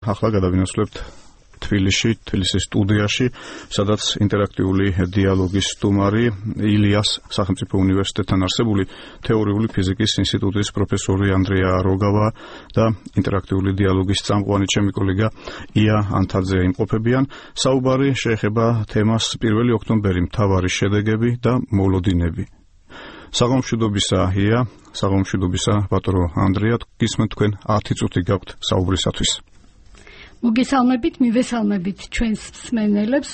ახლა გადავინაცვლებთ თბილისის სტუდიაში, სადაც ინტერაქტიული დიალოგის სტუმარი ილიას სახელმწიფო უნივერსიტეტთან არსებული თეორიული ფიზიკის ინსტიტუტის პროფესორი ანდრია როგავა და ინტერაქტიული დიალოგის წამყვანი ჩემი კოლეგა ია ანთაძე იმყოფებიან. საუბარი შეეხება თემას 1 ოქტომბერი, მთავარი შედეგები და მოლოდინები. საღამოშვიდობისა ია, საღამოშვიდობისა ბატონო ანდრია, გისმენთ თქვენ 10 წუთი გაქვთ საუბრისათვის. მოგესალმებით, მივესალმებით ჩვენს მსმენელებს.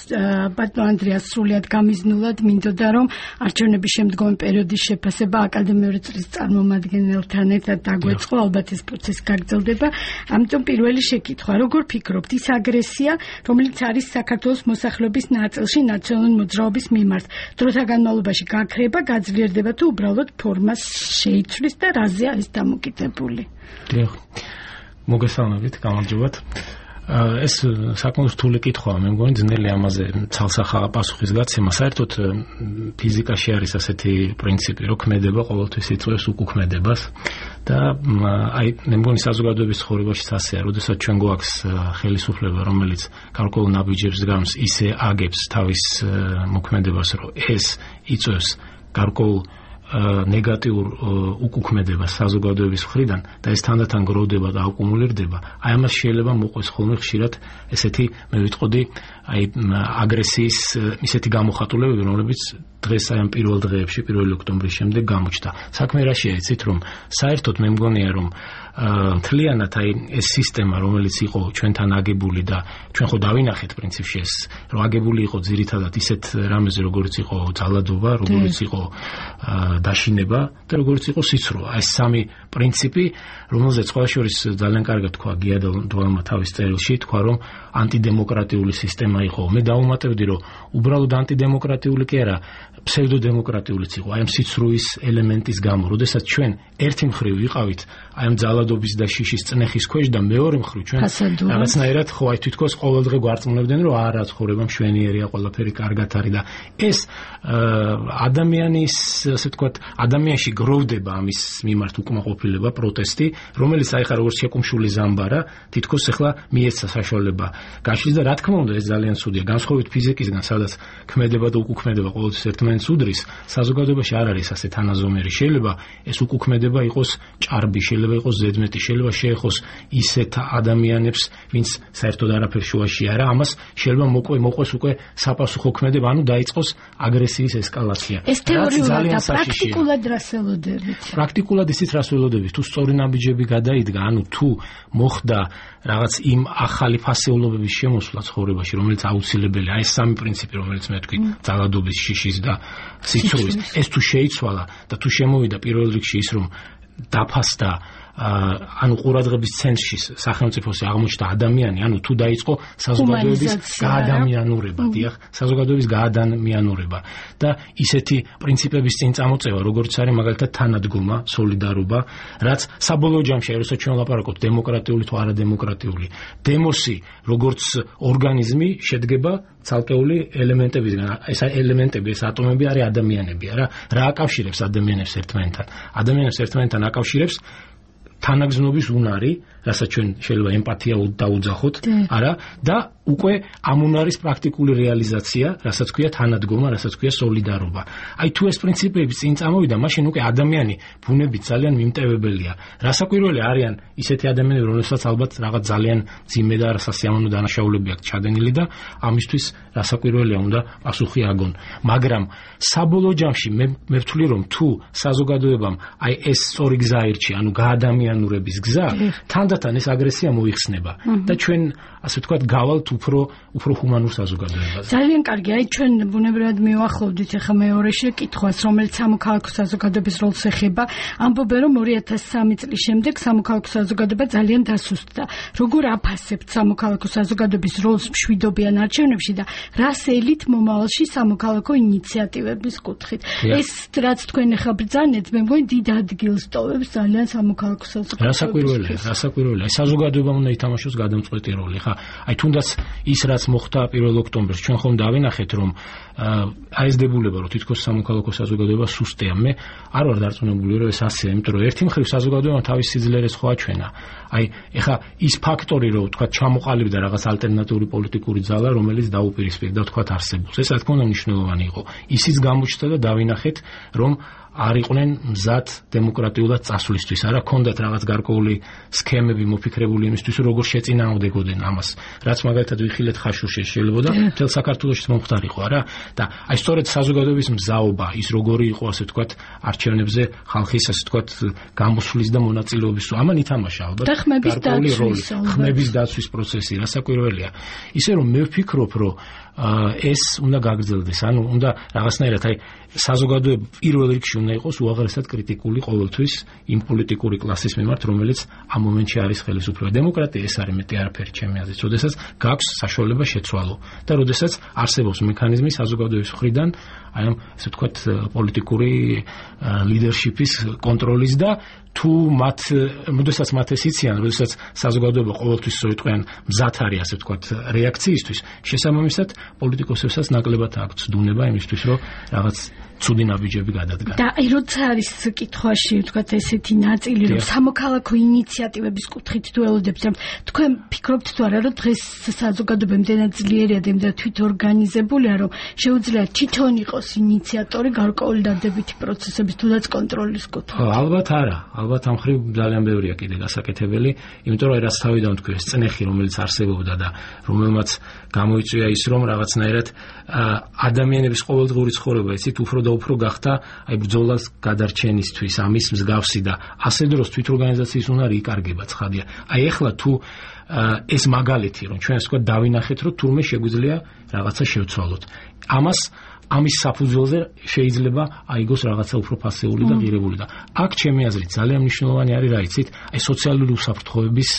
ბატონო ანდრიას სრულიად გამიზნულად მინდოდა, რომ არჩევნების შემდგომი პერიოდის შეფასება აკადემიური წრის წარმომადგენელთან ერთად დაგვეწყო, ალბათ ეს პროცესი გაგრძელდება. ამიტომ პირველი შეკითხვა, როგორ ფიქრობთ, ის აგრესია, რომელიც არის საქართველოს მოსახლეობის ნაწილში ნაციონალური მოძრაობის მიმართ, დროთა განმავლობაში გაქრება, გაძლიერდება თუ უბრალოდ ფორმას შეიცვლის და რაზე არის დამოკიდებული? მოგესალმებით, გამარჯობათ. ეს საკმაოდ რთული კითხვაა, მე მგონი ძნელი ამაზე ცალსახა პასუხის გაცემა. საერთოდ ფიზიკაში არის ასეთი პრინციპი, რომ ქმედება ყოველთვის იწვევს უკუქმედებას და აი მე მგონი საზოგადოების ცხოვრებაშიც ასეა, როდესაც ჩვენ გვაქვს ხელისუფლება, რომელიც გარკვეულ ნაბიჯებს გams ისე აგებს თავის მოქმედებას, რომ ეს იწვევს გარკვეულ ნეგატიურ უკუქმედებას საზოგადოების მხრიდან და ეს თანდათან გროვდება და აკუმულირდება. აი ამას შეიძლება მოყვეს ხოლმე ხშირად ესეთი, მე ვიტყოდი, აი აგრესიის ისეთი გამოხატულებები, რომლებიც დღეს აი ამ პირველ დღეებში, 1 ოქტომბრის შემდეგ გამოჩნდა. საქმე რაშია, იცით, რომ საერთოდ მე მგონია, რომ მთლიანად აი ეს სისტემა, რომელიც იყო ჩვენთან აგებული და ჩვენ ხო დავინახეთ პრინციპში ეს, რომ აგებული იყო ძირითადად ისეთ რამეზე, როგორც იყო ძალადობა, როგორც იყო დაშინება და როგორც იყო სიცრუა. ეს სამი პრინციპი, რომელზეც ყველა შორის ძალიან კარგად თქვა გია დვალმა თავის წერილში, თქვა, რომ ანტიდემოკრატიული სისტემა იყო. მე დავუმატებდი, რომ უბრალოდ ანტიდემოკრატიული კი არა, ფსევდოდემოკრატიულიც იყო, აი ამ სიცრუის ელემენტის გამო, როდესაც ჩვენ ერთი მხრივ ვიყავით აი ამ ძალადობის და შიშის წნეხის ქვეშ და მეორე მხრივ ჩვენ რაღაცნაირად ხო აი თვითქოს ყოველდღე გვარწმუნებდნენ, რომ არა, ცხოვრება მშვენიერია, ყველაფერი კარგად არის და ეს ადამიანის, ასე ვთქვათ, ადამიანში გროვდება ამის მიმართ უკმაყოფილება, პროტესტი, რომელიც აი ხა როგორც შეკუმშული ზამბარა, თითქოს ახლა მიეცა საშუალება გაშლის და რა თქმა უნდა ეს ძალიან ცუდია. განსხვავებით ფიზიკისგან, სადაც ქმედება და უკუქმედება ყოველთვის ერთმანეთს უდრის, საზოგადოებაში არ არის ასე თანაზომერი. შეიძლება ეს უკუქმედება იყოს ჭარბი, შეიძლება იყოს ზედმეტი, შეიძლება შეეხოს ისეთ ადამიანებს, ვინც საერთოდ არაფერ შუაში არა, ამას შეიძლება მოყვეს უკვე საპასუხო ქმედება, ანუ დაიწყოს აგრესიის ესკალაცია. ეს თეორიულად და პრაქტიკულად რას ველოდებით? პრაქტიკულად ისიც რას ველოდებით, თუ სწორი ნაბიჯები გადაიდგა, ანუ თუ მოხდა რაღაც იმ ახალი ფასეულობების შემოსვლა ცხოვრებაში, რომელიც აუცილებელია, აი ეს სამი პრინციპი, რომელიც მე ვთქვი, ძალადობის, შიშის და სიცრუის, ეს თუ შეიცვალა და თუ შემოვიდა პირველ რიგში ის, რომ დაფასდა ანუ ყურადღების ცენტრში სახელმწიფოსი აღმოჩნდა ადამიანი, ანუ თუ დაიწყო საზოგადოების გაადამიანურება, დიახ, საზოგადოების გაადამიანურება და ისეთი პრინციპების წინ წამოწევა, როგორც არის მაგალითად თანადგომა, სოლიდარობა, რაც საბოლოო ჯამში, როცა ჩვენ ვლაპარაკობთ დემოკრატიული თუ არადემოკრატიული, დემოსი როგორც ორგანიზმი შედგება ცალკეული ელემენტებისგან. ეს ელემენტები, ეს ატომები არის ადამიანები, რა აკავშირებს ადამიანებს ერთმანეთთან? ადამიანებს ერთმანეთთან აკავშირებს თანაგზნობის უნარი, რასაც ჩვენ შეიძლება ემპათია დაუძახოთ, არა, და უკვე ამ უნარის პრაქტიკული რეალიზაცია, რასაც ქვია თანადგომა, რასაც ქვია სოლიდარობა. აი თუ ეს პრინციპები წინ წამოვიდა, მაშინ უკვე ადამიანი ბუნებით ძალიან მიმტევებელია. რასაკვირველი არიან ისეთი ადამიანები, რომლებსაც ალბათ რაღაც ძალიან ძიმე და სასიამოვნო დანაშაულები აქვს ჩადენილი და ამისთვის რასაკვირველია უნდა პასუხი აგონ. მაგრამ საბოლოო ჯამში მე ვთვლი, რომ თუ საზოგადოებამ აი ეს სწორი გზა აირჩია, ანუ გაადამიანურების გზა, თანდათან ეს აგრესია მოიხსნება და ჩვენ ასე ვთქვათ გავალთ უფრო ჰუმანურ საზოგადოებას. ძალიან კარგი, აი ჩვენ ბუნებრივად მივახლოვდით ახლა მეორე შეკითხვას, რომელიც სამოქალაქო საზოგადოების როლს ეხება. ამბობენ, რომ 2003 წლის შემდეგ სამოქალაქო საზოგადოება ძალიან დასუსტდა. როგორ აფასებთ სამოქალაქო საზოგადოების როლს მშვიდობიან არჩევნებში და რას ელით მომავალში სამოქალაქო ინიციატივების კუთხით? ეს რაც თქვენ ახლა ბრძანეთ, მე მგონი დიდ ადგილს ტოვებს ძალიან სამოქალაქო საზოგადოებას. რასაკვირველია, პირველია, საზოგადოებამ უნდა ითამაშოს გადამწყვეტი როლი. ხა, აი თუნდაც ის რაც მოხდა 1 ოქტომბერს, ჩვენ ხომ დავინახეთ, რომ აი ეს დებულება, რომ თითქოს სამოქალაქო საზოგადოება სუსტია. მე არ ვარ დარწმუნებული, რომ ეს ასეა, იმიტომ რომ ერთი მხრივ საზოგადოებამ თავის სიძლიერეს ხო აჩვენა. აი, ეხა ის ფაქტორი, რომ თქვა ჩამოყალიბდა რაღაც ალტერნატიული პოლიტიკური ძალა, რომელიც დაუპირისპირდა თქვა არსებობს. ეს რა თქმა უნდა მნიშვნელოვანი იყო. ისიც გამოჩნდა და დავინახეთ, რომ არ იყვნენ მზად დემოკრატიულად წასვლისთვის, არა ქონდათ რაღაც გარკვეული სქემები მოფიქრებული იმისთვის, როგორ შეწინააღმდეგოდნენ ამას. რაც მაგალითად ვიხილეთ ხაშურში შეიძლება და მთელ საქართველოში მომხდარიყო, არა? და აი სწორედ საზოგადოების მზაობა, ის როგორი იყო, ასე ვთქვათ, არჩევნებზე ხალხის, ასე ვთქვათ, გამოსვლის და მონაწილეობის, ამან ითამაშა ალბათ გარკვეული როლი. ხმების დაცვის პროცესი, რასაკვირველია. ისე რომ მე ვფიქრობ, რომ ეს უნდა გაგრძელდეს, ანუ უნდა რაღაცნაირად აი საზოგადოება პირველ რიგში უნდა იყოს უაღრესად კრიტიკული ყოველთვის იმ პოლიტიკური კლასის მიმართ, რომელიც ამ მომენტში არის ხელისუფლება. დემოკრატია ეს არის მეტი არაფერი ჩემი აზრით, როდესაც გაქვს საშუალება შეცვალო და როდესაც არსებობს მექანიზმი საზოგადოების მხრიდან აი ამ ასე ვთქვათ პოლიტიკური ლიდერშიპის კონტროლის და თუ როდესაც მათ ეს იციან, როდესაც საზოგადოება ყოველთვის სწორედ მზად არის ასე ვთქვათ რეაქციისთვის, შესაბამისად პოლიტიკოსებსაც ნაკლებად აქვთ ცდუნება იმისთვის, რომ რაღაც ცუდი ნაბიჯები გადადგან. და აი როცა არის კითხვაში ვთქვათ ესეთი ნაწილი, რომ სამოქალაქო ინიციატივების კუთხით თუ ელოდებს, რომ თქვენ ფიქრობთ თუ არა, რომ დღეს საზოგადოება იმდენად ძლიერია და იმდენად თვითორგანიზებულია, რომ შეუძლია თვითონ იყოს ინიციატორი გარკვეული დადებითი პროცესების თუნდაც კონტროლის კუთხით? ალბათ არა. ალბათ ამ ხრივ ძალიან ბევრია კიდე გასაკეთებელი, იმიტომ რომ რაც თავიდან თქვი, ეს წნეხი, რომელიც არსებობდა და რომელმაც გამოიწვია ის, რომ რაღაცნაირად ადამიანების ყოველდღიური ცხოვრება, იცით, უფრო და უფრო გახდა აი ბრძოლას გადარჩენისთვის, ამის მსგავსი და ასე დროს თვითორგანიზაციის უნარი იკარგება ცხადია. აი ეხლა თუ ეს მაგალითი, რომ ჩვენ ვთქვათ დავინახეთ, რომ თურმე შეგვიძლია რაღაცა შევცვალოთ. ამის საფუძველზე შეიძლება აიგოს რაღაცა უფრო პასიური და ღირებული და აქ ჩემი აზრით ძალიან მნიშვნელოვანი არის რა იცით, აი სოციალური უსაფრთხოების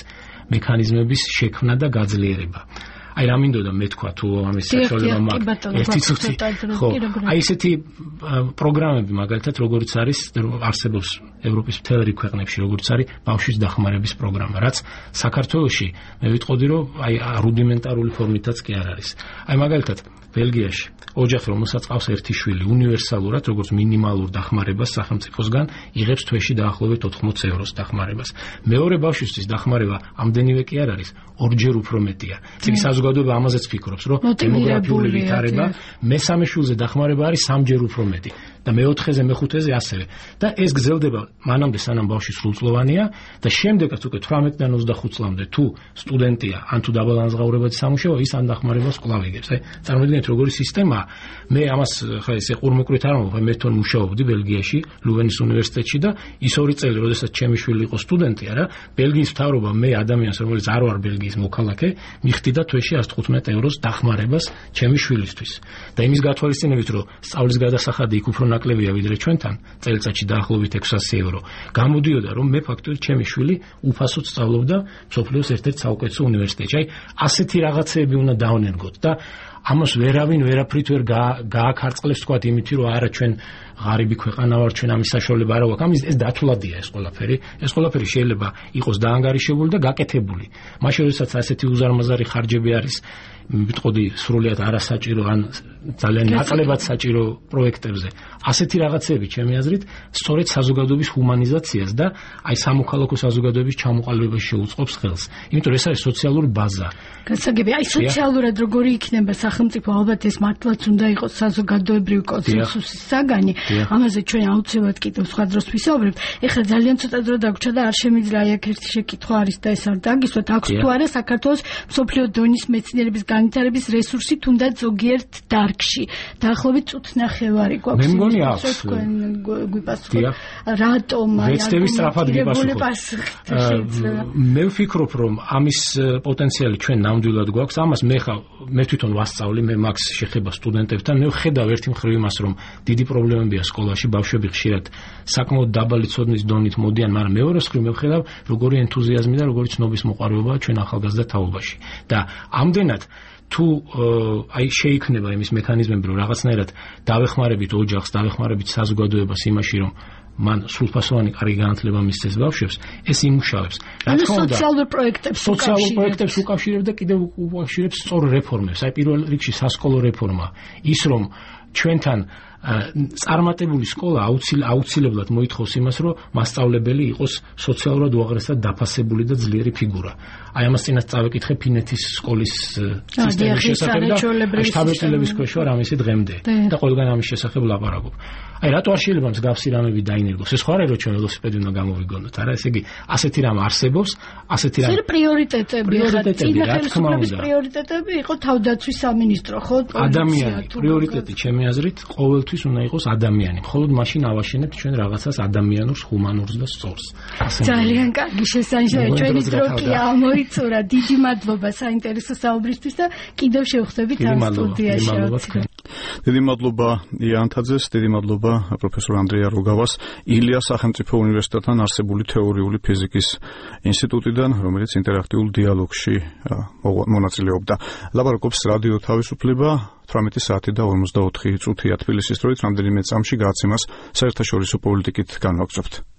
მექანიზმების შექმნა და გაძლიერება. აი რა მინდოდა მე თქვა თუ ამის საშუალება მაქვს ერთი წუთი ხო აი ესეთი პროგრამები მაგალითად როგორიც არის არსებობს ევროპის მთელ რიგ ქვეყნებში როგორც არის ბავშვის დახმარების პროგრამა რაც საქართველოში მე ვიტყოდი რომ აი რუდიმენტარული ფორმითაც კი არ არის აი მაგალითად ბელგიაში ოჯახი რომელსაც ყავს ერთი შვილი უნივერსალურად როგორც მინიმალურ დახმარებას სახელმწიფოსგან იღებს თვეში დაახლოებით 80 ევროს დახმარებას მეორე ბავშვისთვის დახმარება ამდენივე კი არ არის ორჯერ უფრო მეტია წინ საზოგადოება ამაზეც ფიქრობს რომ დემოგრაფიული ვითარება მესამე შვილზე დახმარება არის 3-ჯერ უფრო მეტი და მეოთხეზე მეხუთეზე ასევე და ეს გრძელდება მანამდე სანამ ბავშვი სრულწლოვანია და შემდეგაც უკვე 18-დან 25 წლამდე თუ სტუდენტია ან თუ დაბალანსღაურებადი სამუშაოა ის ამ დახმარებას კვლავ იგებს აი წარმოიდგინეთ როგორი სისტემაა მე ამას ხა ესე ყურმეკვით არ მომხდარ მე თვითონ მუშაობდი ბელგიაში ლუვენის უნივერსიტეტში და ის 2 წელი როდესაც ჩემი შვილი იყო სტუდენტი არა ბელგიის მთავრობა მე ადამიანს რომელიც არ ვარ ბელგიის მოქალაქე მიხდიდა თვეში 115 ევროს დახმარებას ჩემი შვილისთვის და იმის გათვალისწინებით რომ სწავლის გადასახადი იქ უფრო ნაკლებია ვიდრე ჩვენთან წელიწადში დაახლოებით 600 euро გამოდიოდა რომ მე ფაქტობრივად ჩემი შვილი უფასოდ სწავლობდა მსოფლიოს ერთ-ერთ საუკეთესო უნივერსიტეტში აი ასეთი რაღაცები უნდა დავნერგოთ და ამას ვერავინ ვერაფრით ვერ გააქარწყლებს თქვა იმით რომ არა ჩვენ ღარიბი ქვეყანა ვარ ჩვენ ამის საშუალება არ აქვს ამის ეს დათვლადია ეს ყველაფერი შეიძლება იყოს დაანგარიშებული და გაკეთებული მაშინ როდესაც ასეთი უზარმაზარი ხარჯები არის ვიტყოდი სრულიად არასაჭირო ან ძალიან ნაკლებად საჭირო პროექტებზე ასეთი რაღაცები ჩემი აზრით სწორედ საზოგადოების ჰუმანიზაციას და აი სამოქალაქო საზოგადოების ჩამოყალიბებას შეუწყობს ხელს იმიტომ რომ ეს არის სოციალური ბაზა გასაგები აი სოციალურად როგორი იქნება სახელმწიფო ალბათ ეს მართლაც უნდა იყოს საზოგადოებრივი კონსენსუსის საგანი ამაზე ჩვენ აუცილებლად კიდევ სხვა დროს ვისაუბრებთ ეხლა ძალიან ცოტა დრო დაგვრჩა და არ შემიძლია აი აქ ერთი შეკითხვა არის და ეს არ დაგისვათ აქვს თუ არა საქართველოს მსოფლიო დონის მეცნიერების განვითარების რესურსი თუნდაც ზოგიერთ დარგში დაახლოებით წუთნახევარი გვაქვს მე მგონი აქვს გვიპასუხოთ რატომ ვეცდები სწრაფად გიპასუხოთ მე ვფიქრობ რომ ამის პოტენციალი ჩვენ ნამდვილად გვაქვს ამას მე თვითონ ვასწავლი მე მაქვს შეხება სტუდენტებთან მე ვხედავ ერთი მხრივ იმას რომ დიდი პრობლემებია სკოლაში ბავშვები ხშირად საკმაოდ დაბალი ცოდნის დონით მოდიან მაგრამ მეორე მხრივ მე ვხედავ როგორი ენთუზიაზმი და როგორი ცნობის მოყვარეობაა ჩვენ ახალგაზრდა თაობაში და ამდენად თუ აი შეიქმნება იმის მექანიზმები რომ რაღაცნაირად დავეხმარებით ოჯახს დავეხმარებით საზოგადოებას იმაში რომ მან სრულფასოვანი კარგი განათლება მისცეს ბავშვებს, ეს იმუშავებს. რა თქმა უნდა, სოციალურ პროექტებს უკავშირებს და კიდევ უკავშირებს სწორ რეფორმებს. აი პირველ რიგში სასკოლო რეფორმა, ის რომ ჩვენთან წარმატებული სკოლა აუცილებლად მოითხოვს იმას, რომ მასწავლებელი იყოს სოციალურად უაღრესად დაფასებული და ძლიერი ფიგურა. აი ამას წინათ წავეკითხე ფინეთის სკოლის სისტემის შესახებ და შთაბეჭდილების ქვეშ ვარ ამისი დღემდე და ყველგან ამის შესახებ ლაპარაკობ. აი რატო არ შეიძლება მსგავსი რამები დაინერგოს? ეს ხო არ არის რომ ჩვენ ველოსიპედი უნდა გამოვიგონოთ, არა, ესე იგი ასეთი რამ არსებობს, ასეთი რამ პრიორიტეტები რა თქმა უნდა. პრიორიტეტები იყო თავდაცვის სამინისტრო, ხო? ადამიანი, პრიორიტეტი ჩემი აზრით ყოველთვის უნდა იყოს ადამიანი. მხოლოდ მაშინ ავაშენებთ ჩვენ რაღაცას ადამიანურს, ჰუმანურს და სწორს. ძალიან კარგი შესანიშნავია. ჩვენი დრო კი ამოიწურა. დიდი მადლობა საინტერესო საუბრისთვის და კიდევ შევხვდებით ამ სტუდიაში. დიდი მადლობა იანთაძეს, დიდი მადლობა პროფესორ ანდრია როგავას, ილიას სახელმწიფო უნივერსიტეტთან არსებული თეორიული ფიზიკის ინსტიტუტიდან, რომელიც ინტერაქტიულ დიალოგში მონაწილეობდა. ლაპარაკობს რადიო თავისუფლება 18 საათი და 54 წუთია თბილისის დროით, რამდენიმე წამში გააცემას საერთაშორისო პოლიტიკით განვაგრძობთ.